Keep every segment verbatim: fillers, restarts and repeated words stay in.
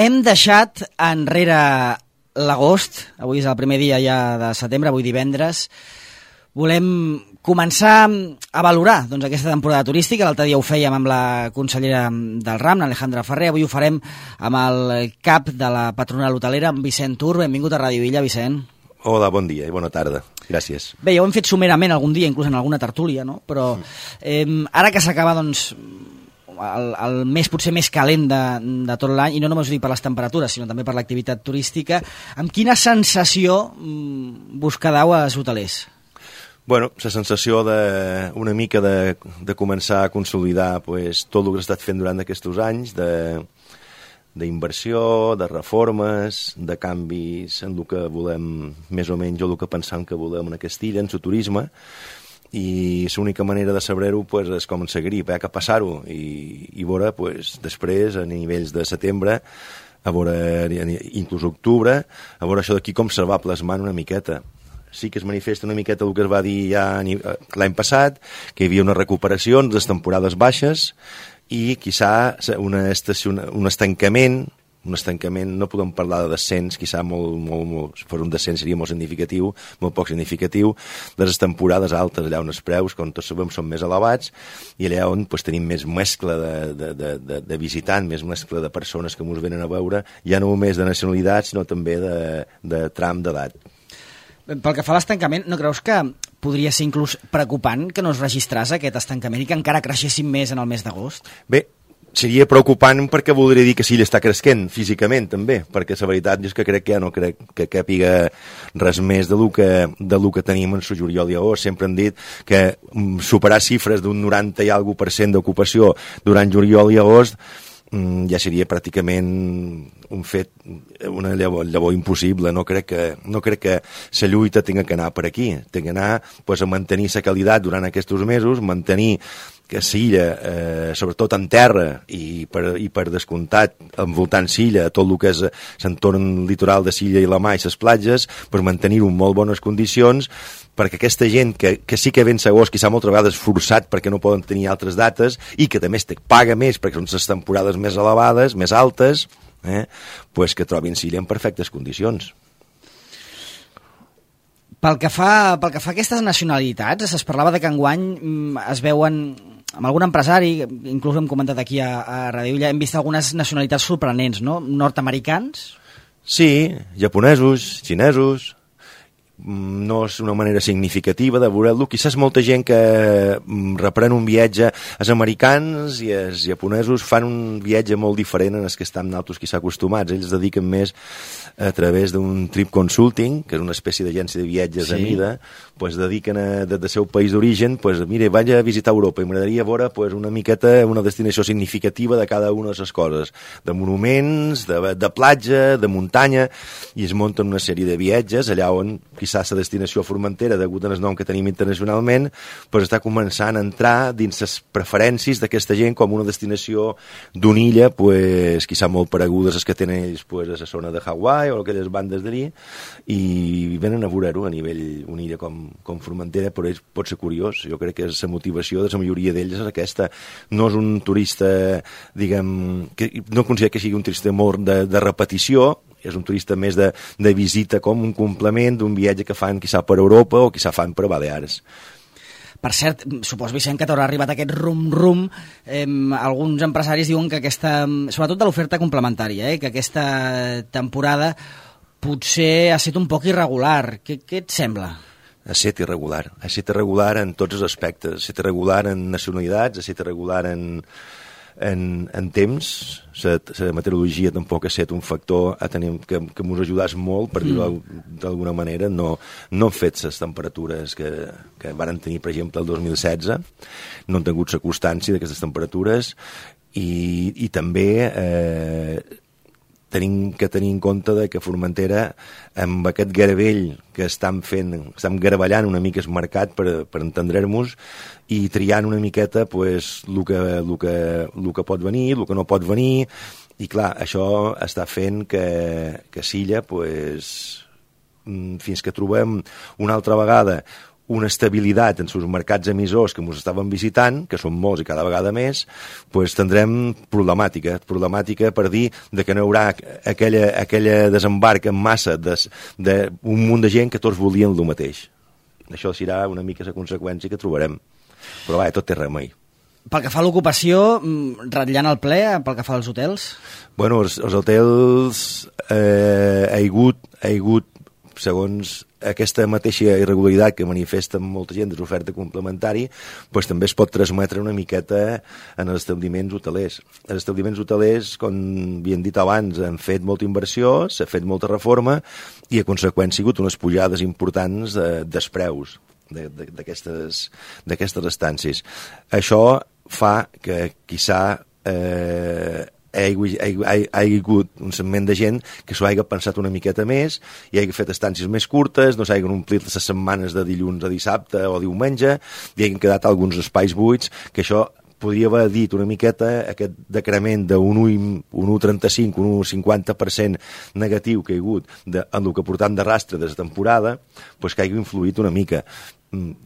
Hem deixat enrere l'agost, avui és el primer dia ja de setembre, avui divendres. Volem començar a valorar doncs, aquesta temporada turística. L'altre dia ho fèiem amb la consellera del RAM, Alejandra Ferrer. Avui ho farem amb el cap de la patronal hotelera, amb Vicent Tur. Benvingut a Ràdio Illa, Vicent. Hola, bon dia i bona tarda. Gràcies. Bé, ja ho hem fet somerament algun dia, inclús en alguna tertúlia, no? Però eh, ara que s'acaba, doncs, el, el mes potser més calent de, de tot l'any, i no només ho dic per les temperatures, sinó també per l'activitat turística, amb quina sensació vos quedeu als hotelers? Bueno, la sensació de, una mica de, de començar a consolidar pues, tot el que s'ha estat fent durant aquests anys, de d'inversió, de reformes, de canvis en el que volem, més o menys, o el que pensam que volem en aquesta illa, en el turisme, i l'única manera de saber-ho pues, és com en seguir, eh, que passar-ho, i, i veure, pues, després, a nivells de setembre, a veure, inclús octubre, a veure això d'aquí com se va plasmant una miqueta. Sí que es manifesta una miqueta el que es va dir ja l'any passat, que hi havia una recuperació en les temporades baixes, i quizà una estació, un estancament, un estancament, no podem parlar de descens, quizà molt, molt, molt, per un descens seria molt significatiu, molt poc significatiu, de les temporades altes, allà on els preus, com tots sabem, són més elevats, i allà on pues, tenim més mescla de, de, de, de, de visitants, més mescla de persones que ens venen a veure, ja no només de nacionalitat, sinó també de, de tram d'edat. Pel que fa a l'estancament, no creus que podria ser inclús preocupant que no es registrés aquest estancament i que encara creixessin més en el mes d'agost? Bé, seria preocupant perquè voldria dir que sí, està creixent físicament també, perquè la veritat és que crec que ja no crec que càpiga res més de lo que, de lo que tenim en el juliol i agost. Sempre hem dit que superar xifres d'un noranta i alguna per cent d'ocupació durant juliol i agost ja seria pràcticament un fet, una llavor, llavor impossible. No crec que, no crec que la lluita tinga que anar per aquí, tinga que anar pues, a mantenir la qualitat durant aquests mesos, mantenir que l'illa, eh, sobretot en terra i per, i per descomptat envoltant l'illa, tot el que és l'entorn litoral de l'illa i la mà i les platges, pues, mantenir-ho en molt bones condicions, perquè aquesta gent que, que sí que ven segons, quizà moltes vegades forçat perquè no poden tenir altres dates i que també te paga més perquè són les temporades més elevades, més altes, eh, pues que trobin l'illa en perfectes condicions. Pel que fa, pel que fa a aquestes nacionalitats, es parlava de que enguany es veuen, amb algun empresari, inclús hem comentat aquí a, a Ràdio Illa, hem vist algunes nacionalitats sorprenents, no? Nord-americans? Sí, japonesos, xinesos. No és una manera significativa de veure-lo. Quizás molta gent que reprèn un viatge, els americans i els japonesos fan un viatge molt diferent en els que estan nosaltres quizá acostumats. Ells es dediquen més a través d'un trip consulting, que és una espècie d'agència de viatges sí. a mida, pues dediquen a, des del seu país d'origen, pues, mire, vaig a visitar Europa i m'agradaria veure pues, una miqueta una destinació significativa de cada una de les coses, de monuments, de, de platja, de muntanya, i es munten una sèrie de viatges allà on quizà la destinació Formentera, degut al nom que tenim internacionalment, pues està començant a entrar dins les preferències d'aquesta gent com una destinació d'una illa, pues, quizà molt paregudes les que tenen ells pues, a la zona de Hawaii o aquelles bandes d'allí, i venen a veure-ho a nivell una illa com, com Formentera, però ells pot ser curiós. Jo crec que la motivació de la majoria d'ells és aquesta. No és un turista, diguem, que no considero que sigui un turista molt de, de repetició, és un turista més de, de visita com un complement d'un viatge que fan quizà per Europa o quizà fan per Balears. Per cert, supos, Vicent, que t'haurà arribat aquest rum-rum. Eh, alguns empresaris diuen que aquesta, sobretot de l'oferta complementària, eh, que aquesta temporada potser ha estat un poc irregular. Què, què et sembla? Ha estat irregular. Ha estat irregular en tots els aspectes. Ha estat irregular en nacionalitats, ha estat irregular en... En, en temps, la meteorologia tampoc ha estat un factor a tenir, que, que ens ajudés molt, per dir-ho mm. d'alguna manera. No, no han fet les temperatures que, que van tenir, per exemple, el dos mil setze, no han tingut la constància d'aquestes temperatures, i, i també eh, tenim que tenir en compte de que Formentera, amb aquest garavell que estan fent, estan garavellant una mica el mercat per, per entendre-nos, i triant una miqueta pues, el, que, el, que, el que pot venir, el que no pot venir, i clar, això està fent que, que Silla, pues, fins que trobem una altra vegada una estabilitat en els mercats emissors que ens estaven visitant, que són molts i cada vegada més, pues tindrem problemàtica, problemàtica per dir de que no hi haurà aquella, aquella desembarc en massa d'un munt de gent que tots volien el mateix. Això serà una mica la conseqüència que trobarem. Però va, tot té remei. Pel que fa a l'ocupació, ratllant el ple, pel que fa als hotels? Bueno, els, els hotels eh, ha hagut, ha hagut, segons aquesta mateixa irregularitat que manifesta molta gent de l'oferta complementari, pues, també es pot transmetre una miqueta en els establiments hotelers. Els establiments hotelers, com havien dit abans, han fet molta inversió, s'ha fet molta reforma i a conseqüència ha sigut unes pujades importants de, dels preus d'aquestes estàncies. Això fa que, quizà, eh, hi ha hagut un segment de gent que s'ho hagi pensat una miqueta més i hagi fet estàncies més curtes, no s'hagin omplit les setmanes de dilluns a dissabte o diumenge, i hagin quedat alguns espais buits, que això podria haver dit una miqueta aquest decrement d'un un coma trenta-cinc, un un coma cinquanta per cent negatiu que hi ha hagut de, en el que portam de rastre de la temporada, pues que hagi influït una mica.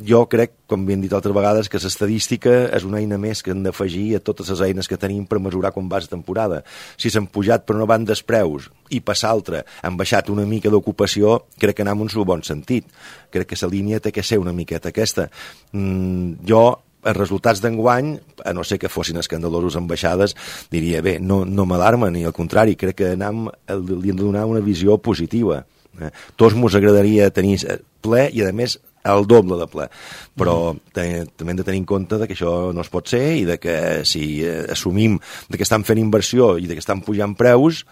Jo crec, com hem dit altres vegades, que l'estadística és una eina més que hem d'afegir a totes les eines que tenim per mesurar com va la temporada. Si s'han pujat per una banda els preus i per l'altra han baixat una mica d'ocupació, crec que anem en el bon sentit. Crec que la línia té que ser una miqueta aquesta. Mm, jo, els resultats d'enguany, a no ser que fossin escandalosos en baixades, diria, bé, no, no m'alarma, ni al contrari, crec que anem, li hem de donar una visió positiva. Eh? Tots ens agradaria tenir ple i, a més, el doble de ple, però mm. també hem de tenir en compte que això no es pot ser i de que si eh, assumim de que estan fent inversió i de que estan pujant preus,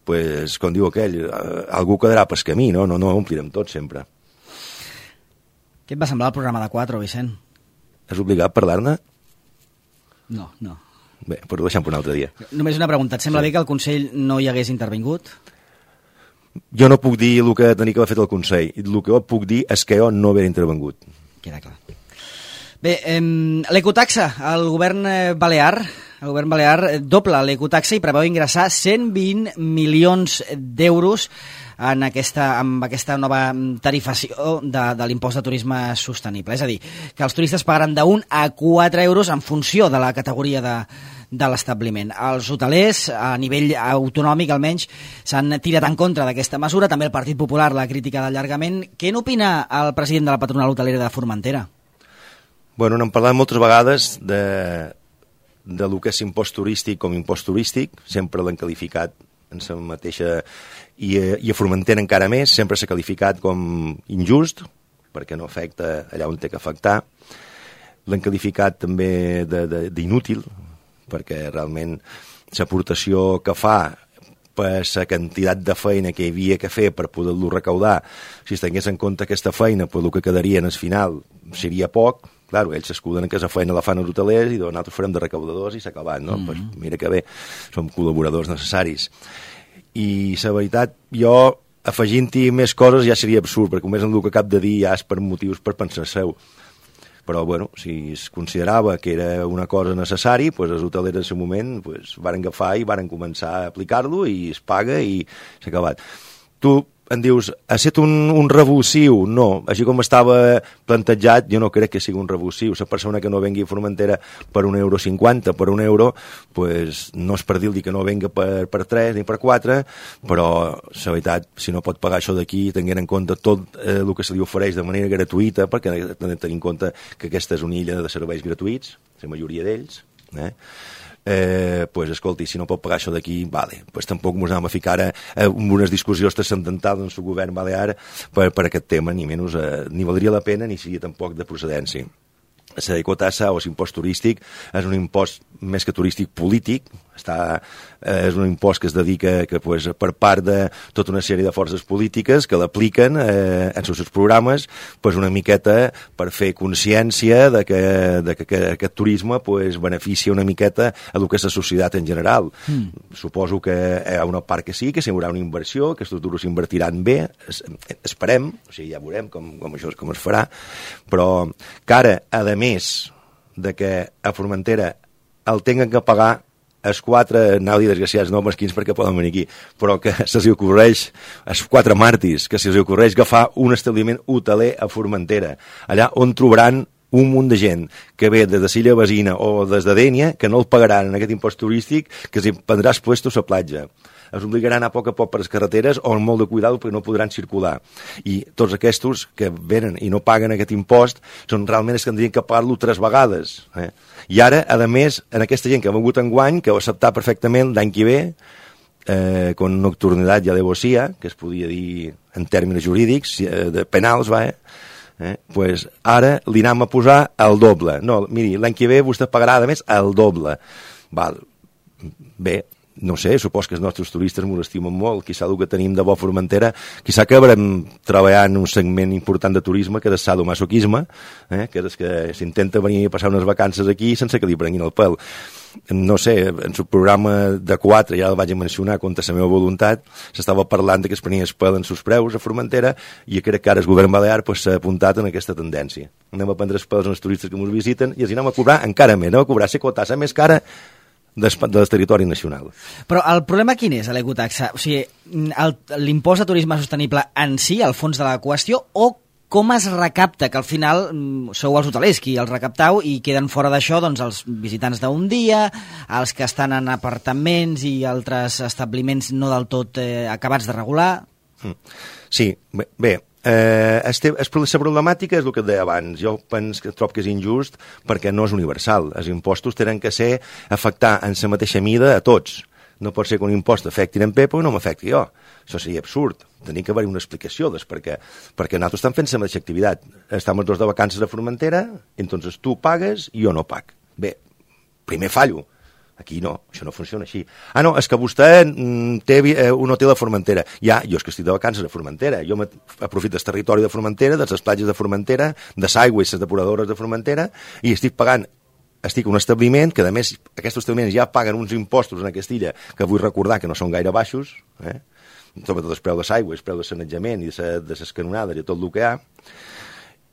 pues, com diu aquell, eh, algú quedarà pel camí, no? No, no omplirem tot sempre. Què et va semblar el programa de quatre, Vicent? És obligat parlar-ne? No, no. Bé, però ho deixem per un altre dia. Només una pregunta, et sembla sí. bé que el Consell no hi hagués intervingut? Jo no puc dir el que tenia que haver fet el Consell. El que jo puc dir és que jo no haver intervengut. Queda clar. Bé, eh, l'ecotaxa, el govern balear, el govern balear dobla l'ecotaxa i preveu ingressar cent vint milions d'euros en aquesta, amb aquesta nova tarifació de, de l'impost de turisme sostenible. És a dir, que els turistes pagaran d'un a quatre euros en funció de la categoria de, de l'establiment. Els hotelers, a nivell autonòmic almenys, s'han tirat en contra d'aquesta mesura, també el Partit Popular la crítica d'allargament. Què n'opina el president de la patronal hotelera de Formentera? Bueno, n'hem parlat moltes vegades de, de lo que és impost turístic com impost turístic, sempre l'han qualificat en la mateixa, i, i a Formentera encara més, sempre s'ha qualificat com injust, perquè no afecta allà on té que afectar. L'han qualificat també d'inútil, perquè realment l'aportació que fa per la quantitat de feina que hi havia que fer per poder-lo recaudar, si es tingués en compte aquesta feina, pues el que quedaria en el final seria poc. Clar, ells s'escuden que la feina la fan els hotelers i nosaltres farem de recaudadors i s'ha acabat, no? Mm-hmm. Pues mira que bé, som col·laboradors necessaris. I la veritat, jo afegint-hi més coses ja seria absurd, perquè només en el que cap de dir ja és per motius per pensar seu. Però, bueno, si es considerava que era una cosa necessari, pues els hotelers en el moment pues, varen agafar i varen començar a aplicar-lo i es paga i s'ha acabat. Tu em dius, ha estat un, un revulsiu? No, així com estava plantejat, jo no crec que sigui un revulsiu. La persona que no vengui a Formentera per un euro cinquanta, per un euro, pues, no és per dir-li que no venga per, per tres ni per quatre, però la veritat, si no pot pagar això d'aquí, tenint en compte tot eh, el que se li ofereix de manera gratuïta, perquè hem de tenir en compte que aquesta és una illa de serveis gratuïts, la majoria d'ells, eh? Eh, pues, escolti, si no pot pagar això d'aquí, vale, pues tampoc ens anem a ficar a, a unes discussions transcendentals en el govern balear per, per aquest tema, ni menys, eh, ni valdria la pena ni seria tampoc de procedència. La ecotassa o l'impost turístic és un impost més que turístic polític, està, eh, és un impost que es dedica que, pues, per part de tota una sèrie de forces polítiques que l'apliquen eh, en els seus programes pues, una miqueta per fer consciència de que, de que, que aquest turisme pues, beneficia una miqueta a el que és la societat en general. Mm. Suposo que hi ha una part que sí, que hi haurà una inversió, que aquests duros s'invertiran bé, es, esperem, o sigui, ja veurem com, com això com es farà, però que ara, a més de que a Formentera el tinguin que pagar els quatre, anau a dir desgraciats, no mesquins perquè poden venir aquí, però que se'ls ocorreix, els quatre màrtirs, que se'ls ocorreix agafar un establiment hoteler a Formentera, allà on trobaran un munt de gent que ve des de Silla Basina o des de Dénia, que no el pagaran en aquest impost turístic, que els prendràs puestos a platja. Es obligaran a poc a poc per les carreteres o amb molt de cuidado perquè no podran circular. I tots aquests que venen i no paguen aquest impost són realment els que tindrien que pagar-lo tres vegades. Eh? I ara, a més, en aquesta gent que ha vengut enguany, que ho acceptar perfectament l'any que ve, eh, con nocturnidad i alevosía, que es podia dir en termes jurídics, eh, de penals, va, eh? Eh? Pues ara li anem a posar el doble. No, miri, l'any que ve vostè pagarà, a més, el doble. Val. Bé, no sé, supos que els nostres turistes m'ho estimen molt, quizà el que tenim de bo Formentera, quizà que haurem treballat en un segment important de turisme, que és el sadomasoquisme, eh? que és que s'intenta venir a passar unes vacances aquí sense que li prenguin el pèl. No sé, en el programa de quatre, ja el vaig mencionar contra la meva voluntat, s'estava parlant que es prenia el pèl en sus preus a Formentera i crec que ara el govern balear pues, s'ha apuntat en aquesta tendència. Anem a prendre els pèls als turistes que ens visiten i els anem a cobrar encara més, anem a cobrar la quota més cara del territori nacional. Però el problema quin és a l'ecotaxa? O sigui, l'impost de turisme sostenible en si, al fons de la qüestió, o com es recapta, que al final sou els hotelers qui els recaptau i queden fora d'això doncs, els visitants d'un dia, els que estan en apartaments i altres establiments no del tot eh, acabats de regular? Sí, bé, bé eh, este, la problemàtica és el que et deia abans. Jo penso que trobo que és injust perquè no és universal. Els impostos tenen que ser afectar en la mateixa mida a tots. No pot ser que un impost afecti en Pepo i no m'afecti jo. Això seria absurd. Tenia que haver una explicació des perquè, perquè nosaltres estem fent la mateixa activitat. Estem els dos de vacances a Formentera, entonces tu pagues i jo no pag. Bé, primer fallo. Aquí no, això no funciona així. Ah, no, és que vostè té un hotel a Formentera. Ja, jo és que estic de vacances a Formentera. Jo aprofito el territori de Formentera, de les platges de Formentera, de l'aigua i les depuradores de Formentera, i estic pagant estic en un establiment que, a més, aquests establiments ja paguen uns impostos en aquesta illa que vull recordar que no són gaire baixos, eh? Sobretot el preu de l'aigua, el preu de sanejament i de les canonades i tot el que hi ha.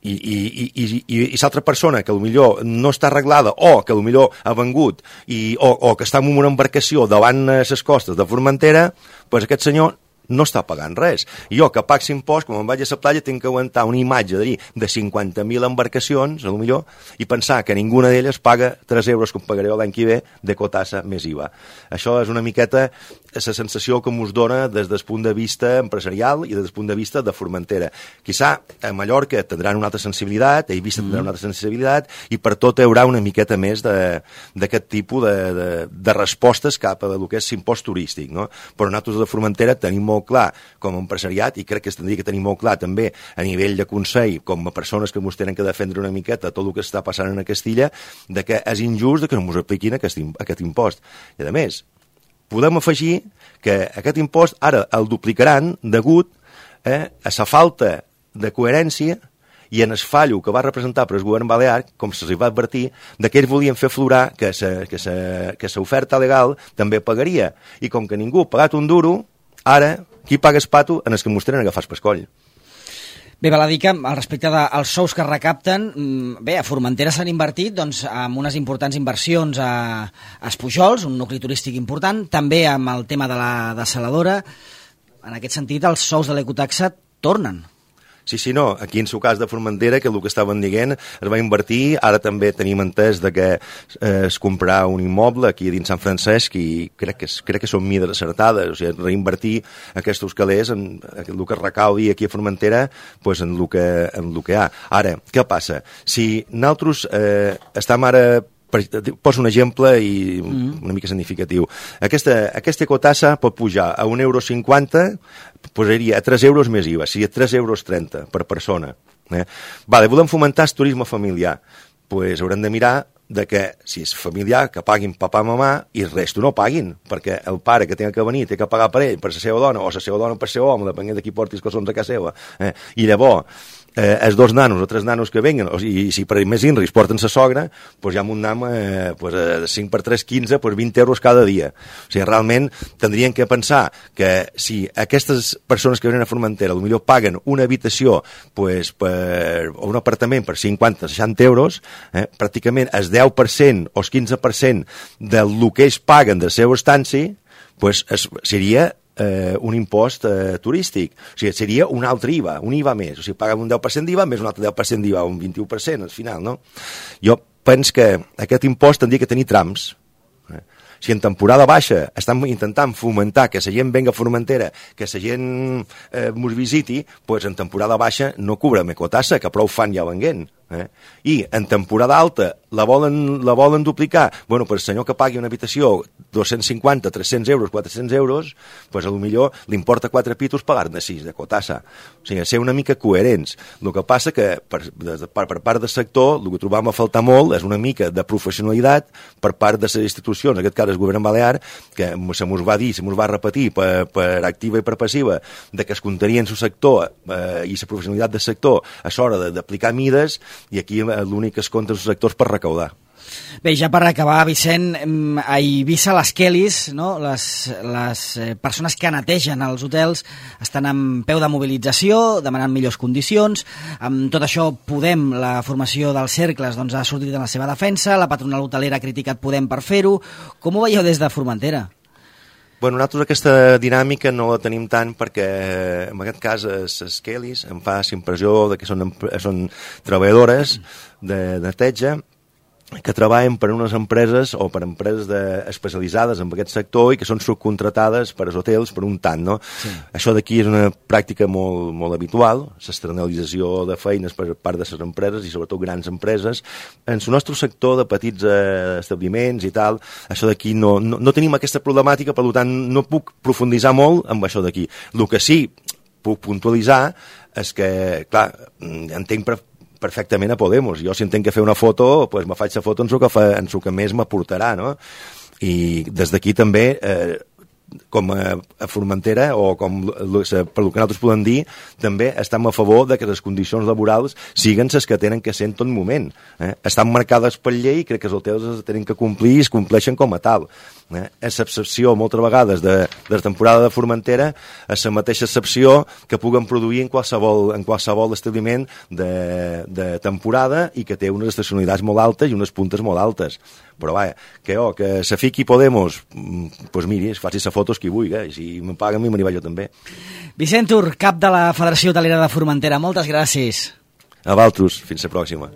I, i, i, i, i, i l'altra persona que potser no està arreglada o que potser ha vengut i, o, o que està en una embarcació davant les costes de Formentera, doncs aquest senyor no està pagant res. I jo, que pago impost, quan em vaig a la platja, tinc que aguantar una imatge de, de cinquanta mil embarcacions, a lo millor, i pensar que ninguna d'elles paga tres euros com pagaré l'any que ve de cotassa més I V A. Això és una miqueta la sensació que us dona des del punt de vista empresarial i des del punt de vista de Formentera. Quizà a Mallorca tindran una altra sensibilitat, a Eivissa tindran una altra sensibilitat, i per tot hi haurà una miqueta més d'aquest tipus de, de, de respostes cap a lo que és l'impost turístic, no? Però nosaltres de Formentera tenim molt clar com a empresariat, i crec que es tindria que tenir molt clar també a nivell de consell, com a persones que ens tenen que defendre una miqueta tot el que està passant en aquesta illa, de que és injust que no ens apliquin aquest, aquest impost. I a més, podem afegir que aquest impost ara el duplicaran degut eh, a la falta de coherència i en el fallo que va representar per el govern balear, com se'ls va advertir, de que ells volien fer aflorar que l'oferta legal també pagaria. I com que ningú ha pagat un duro, ara, qui paga el pato en els que ens tenen agafar el pescoll? Bé, val a dir que al respecte dels sous que recapten, bé, a Formentera s'han invertit doncs, amb unes importants inversions a, a Espujols, un nucli turístic important, també amb el tema de la desaladora. En aquest sentit, els sous de l'ecotaxa tornen. Sí, sí, no, aquí en el cas de Formentera, que el que estaven dient es va invertir, ara també tenim entès de que eh, es comprarà un immoble aquí dins Sant Francesc i crec que, crec que són mides acertades, o sigui, reinvertir aquests calés en, en el que es recaudi aquí a Formentera, pues en el que, en el que hi ha. Ara, què passa? Si nosaltres eh, estem ara... Poso un exemple i una mica significatiu. Aquesta, aquesta ecotassa pot pujar a un euro cinquanta, posaria a tres euros més I V A, sigui a tres euros trenta per persona. Eh? Vale, volem fomentar el turisme familiar. Pues haurem de mirar de que si és familiar, que paguin papà, mamà, i el resto no paguin, perquè el pare que té que venir té que pagar per ell, per la seva dona, o la seva dona per ser home, depenent de qui porti els calçons a casa seva. Eh? I llavors, eh, els dos nanos o tres nanos que venguen, o sigui, i si per més inris porten sa sogra, doncs ja amb un nam eh, pues, eh, cinc per tres, quinze, pues vint euros cada dia. O sigui, realment tindrien que pensar que si aquestes persones que venen a Formentera potser paguen una habitació pues, per, o un apartament per cinquanta o seixanta euros, eh, pràcticament el deu per cent o el quinze per cent del que ells paguen de la seva estància pues, es, seria eh, un impost eh, turístic. O sigui, seria un altre I V A, un I V A més. O sigui, paguen un deu per cent d'I V A més un altre deu per cent d'I V A, un vint-i-u per cent al final, no? Jo penso que aquest impost tindria que tenir trams. Eh? Si en temporada baixa estan intentant fomentar que la gent venga a Formentera, que la gent eh, mos visiti, doncs en temporada baixa no cobrem ecotassa, que prou fan ja venguent. Eh? I en temporada alta la volen, la volen duplicar, bueno, per el senyor que pagui una habitació dos-cents cinquanta, tres-cents euros, quatre-cents euros, pues a lo millor li importa quatre pitos pagar-ne sis de cotassa. O sigui, ser una mica coherents. El que passa que per, de, per, per part del sector el que trobam a faltar molt és una mica de professionalitat per part de les institucions, en aquest cas el govern balear, que se mos va dir, se mos va repetir per, per activa i per passiva, de que es comptarien el sector eh, i la professionalitat del sector a l'hora d'aplicar mides, i aquí l'únic que es compta és els sectors per recaudar. Bé, ja per acabar, Vicent, a Eivissa les Kellys, no? les, les persones que netegen els hotels estan en peu de mobilització, demanant millors condicions. Amb tot això, Podem, la formació dels cercles, doncs, ha sortit en la seva defensa, la patronal hotelera ha criticat Podem per fer-ho. Com ho veieu des de Formentera? Bueno, nosaltres aquesta dinàmica no la tenim tant perquè, en aquest cas, les Kellys em fa la impressió de que són, són treballadores de neteja que treballen per unes empreses o per empreses de, especialitzades en aquest sector i que són subcontratades per als hotels per un tant, no? Sí. Això d'aquí és una pràctica molt, molt habitual, l'externalització de feines per part de les empreses i sobretot grans empreses. En el nostre sector de petits eh, establiments i tal, això d'aquí no, no, no tenim aquesta problemàtica, per tant no puc profunditzar molt amb això d'aquí. El que sí puc puntualitzar és que, clar, entenc per perfectament a Podemos. Jo si entenc que fer una foto, pues me faig la foto en el que, fa, en el que més m'aportarà, no? I des d'aquí també, eh, com a, a Formentera, o com per el que nosaltres podem dir, també estem a favor de que les condicions laborals siguen les que tenen que ser en tot moment. Eh? Estan marcades per llei i crec que els hotels es tenen que complir i es compleixen com a tal. Eh? És l'excepció, moltes vegades, de, de la temporada de Formentera, és la mateixa excepció que puguen produir en qualsevol, en qualsevol establiment de, de temporada i que té unes estacionalitats molt altes i unes puntes molt altes. Però vaja, que, oh, que se fiqui Podemos, doncs pues miri, es faci la fotos qui vulgui, eh? I si me paguen a mi, me n'hi vaig jo també. Vicent Tur, cap de la Federació Hotelera de Formentera, moltes gràcies. A vosaltres, fins la pròxima.